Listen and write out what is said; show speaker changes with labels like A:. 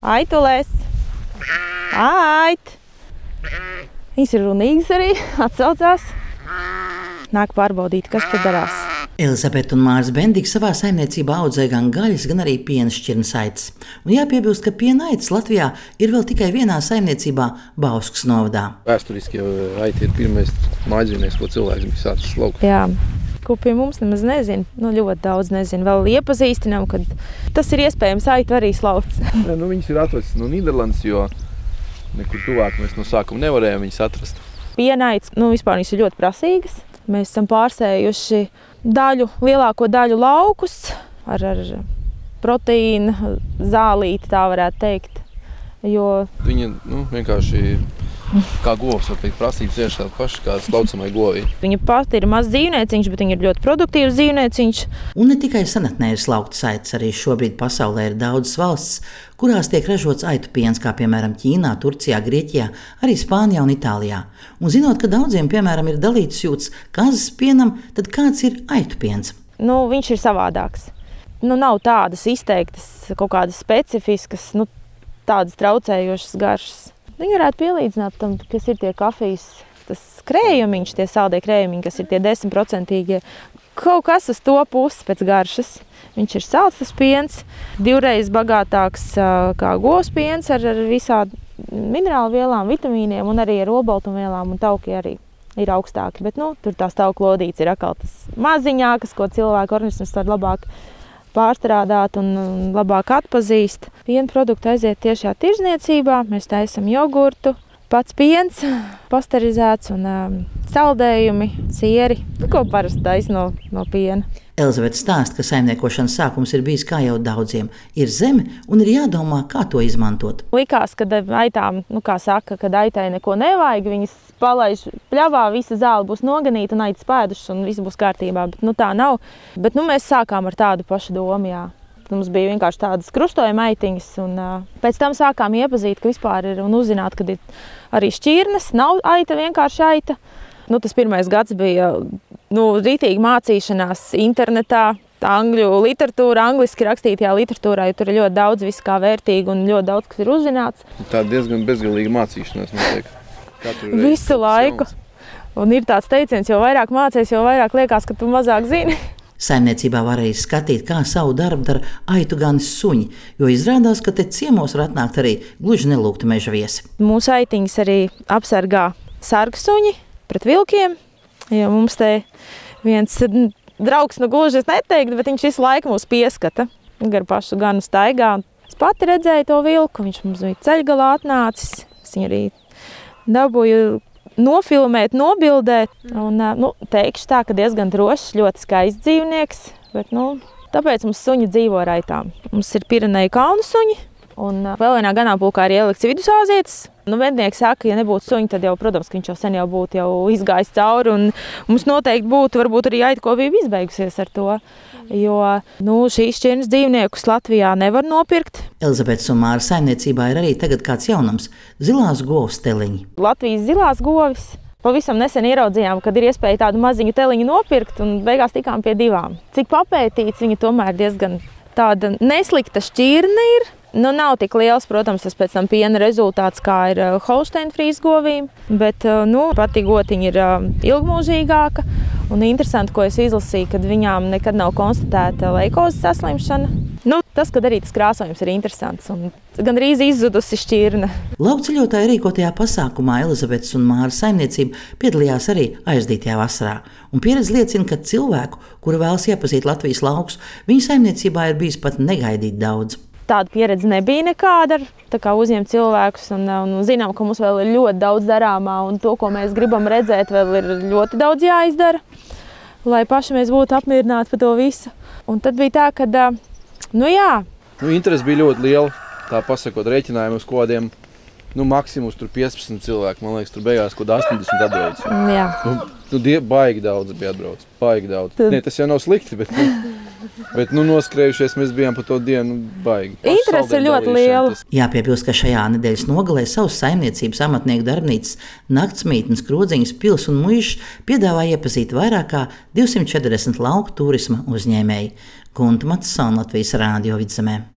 A: Aitulēs! Ait! Viņas ir runīgas arī, atsaucās. Nāk pārbaudīt, kas te darās.
B: Elizabete un Māris Bendiki savā saimniecībā audzē gan gaļas, gan arī piena šķirnes aitas. Un jāpiebilst, ka piena aitas Latvijā ir vēl tikai vienā saimniecībā Bauskas novadā.
C: Vēsturiski jau aita ir pirmais mājdzīvnieks, ko cilvēks bija sācis laukt.
A: Jā. Ko pie mums nemaz nezinu, ļoti daudz nezinu. Vēl iepazīstinām, ka tas ir iespējams aitu arī slauts.
C: Viņas ir atvestas no Nīderlandes, jo nekur tuvāk mēs no sākuma nevarējām viņas atrast.
A: Pienaitas, vispār viņas ir ļoti prasīgas. Mēs esam pārsējuši lielāko daļu laukus ar proteīnu zālīti, tā varētu teikt. Jo
C: viņa vienkārši kā govs, var teikt, prasības tieši tāda paša kā slaucamai govī.
A: Viņa pati ir mazs dzīvnieciņš, bet viņa ir ļoti produktīvs dzīvnieciņš.
B: Un ne tikai senatnē ir slauktas aitas, arī šobrīd pasaulē ir daudzas valstis, kurās tiek ražots aitu piens, kā piemēram Ķīnā, Turcijā, Grieķijā, arī Spānijā un Itālijā. Un zinot, ka daudziem, piemēram, ir dalīts jūtas kazas pienam, tad kāds ir aitu piens?
A: Viņš ir savādāks. Nav tādas izteiktas, kaut kādas specifiskas, tādas traucējošas garšas. Viņi varētu pielīdzināt tam, kas ir tie kafijas, tas krējumiņš, tie saldie krējumiņi, kas ir tie 10%. Kaut kas uz to pusi pēc garšas. Viņš ir salds tas piens, 2 reizes bagātāks kā govs piens ar visādi minerālu vielām, vitamīniem un arī ar olbaltumvielām, un tauki arī ir augstāki. Bet tur tās tauku lodītes ir atkal tas maziņākas, ko cilvēku organisms var labāk pārstrādāt un labāk atpazīst. Piena produkti aiziet tiešā tirzniecībā. Mēs taisam jogurtu, pats piens, pasterizēts un saldējumi, sieri, ko parasti taisa no piena.
B: Elizabete stāsta, ka saimniekošanas sākums ir bijis kā jau daudziem. Ir zeme un ir jādomā, kā to izmantot.
A: Likās, ka aitām, kad aitai neko nevajag, viņas palaiž pļavā, visa zāle būs noganīta un aitas pēdušas un viss būs kārtībā. Bet tā nav. Bet mēs sākām ar tādu pašu domu, jā. Mums bija vienkārši tādas krustojuma aitiņas un pēc tam sākām iepazīt, ka vispār ir un uzzināt, ka ir arī šķirnes, nav aita, vienkārši aita. Tas pirmais gads bija rītīgi mācīšanās internetā, angļu literatūra, angliski rakstītajā literatūrā, jo tur ir ļoti daudz viss kā vērtīgi un ļoti daudz, kas ir uzzināts.
C: Tā diezgan bezgalīga mācīšanās, notiek.
A: Visu laiku. Un ir tāds teiciens, jo vairāk mācies, jo vairāk liekas, ka tu mazāk zini.
B: Saimniecībā var arī skatīt, kā savu darbu dara aitu ganis suņi, jo izrādās, ka te ciemos var atnākt arī gluži nelūgti meža viesi.
A: Mūsu aitiņas arī apsargā sargsuņi pret vilkiem, jo mums te viens draugs, gluži es neteiktu, bet viņš visu laiku mūs pieskata gar pašu ganu staigā. Es pati redzēju to vilku, viņš mums bija ceļgalā atnācis, es viņu arī dabūju nofilmēt, nobildēt. Un, teikšu tā, ka diezgan drošs, ļoti skaists dzīvnieks, bet tāpēc mums suņi dzīvo ar aitām. Mums ir Pireneju kalnu suņi, un vēl vienā ganāmpulkā ir ielikts vidusāzietis. Mednieki saka, ja nebūtu suņi, tad jau, protams, ka viņš jau sen būtu izgājis cauri, un mums noteikti būtu varbūt arī aitkopība izbeigusies ar to. Jo šīs šķirnes dzīvniekus Latvijā nevar nopirkt.
B: Elizabetes un Māra saimniecībā ir arī tagad kāds jaunums – zilās govs teliņi.
A: Latvijas zilās govis. Pavisam nesen ieraudzījām, kad ir iespēja tādu maziņu teliņu nopirkt, un beigās tikām pie 2. Cik papētīts, viņa tomēr diezgan tāda neslikta šķirne ir. Nav tik liels, protams, tas pēc tam piena rezultāts, kā ir Holstein-frīz govīm, bet pati gotiņa ir ilgmūžīgāka. Un interesanti, ko es izlasīju, kad viņām nekad nav konstatēta leikozes saslimšana. Tas, kad arī tas krāsojums ir interesants un gandrīz izzudusi šķirne.
B: Laukceļotāju rīkotajā pasākumā Elizabetes un Māra saimniecība piedalījās arī aizdītajā vasarā. Un pieredze liecina, ka cilvēku, kuri vēlas iepazīt Latvijas laukus, viņu saimniecībā ir bijis pat negaidīt daudz.
A: Tāda pieredze nebija nekāda, tā kā uzņemt cilvēkus un zinām, ka mums vēl ir ļoti daudz darāmā un to, ko mēs gribam redzēt, vēl ir ļoti daudz jāizdara, lai paši mēs būtu apmierināti par to visu. Un tad bija tā, ka,
C: interese bija ļoti liela, tā pasakot rēķinājumus kodiem, maksimums tur 15 cilvēki, man liekas, tur beigās kaut 80 atbrauc.
A: Jā.
C: Baigi daudz bija atbrauc, baigi daudz. Tas jau nav slikti, bet noskrējušies mēs bijām pa to dienu baigi.
A: Interese ir ļoti liela.
B: Jāpiebilst, ka šajā nedēļas nogalē savas saimniecības amatnieku darbnīcas Naktsmītnes, Krodziņas, Pils un Muižs piedāvā iepazīt vairāk kā 240 lauku turisma uzņēmēji. Gunta Matsona, Latvijas Rādio Vidzemē.